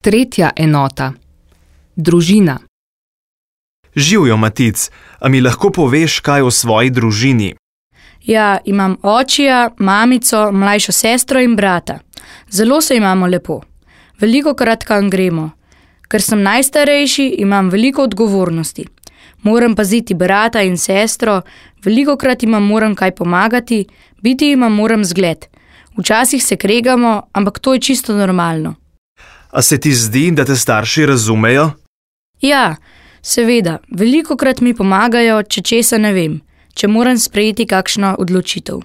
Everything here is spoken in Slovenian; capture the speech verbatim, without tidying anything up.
Tretja enota. Družina. Živjo, Matic, a mi lahko poveš kaj o svoji družini? Ja, imam očija, mamico, mlajšo sestro in brata. Zelo se imamo lepo. Velikokrat kam gremo. Ker sem najstarejši, imam veliko odgovornosti. Moram paziti brata in sestro, velikokrat imam moram kaj pomagati, biti imam moram zgled. Včasih se kregamo, ampak to je čisto normalno. A se ti zdi, da te starši razumejo? Ja, seveda, velikokrat mi pomagajo, če česa ne vem, če moram sprejeti kakšno odločitev.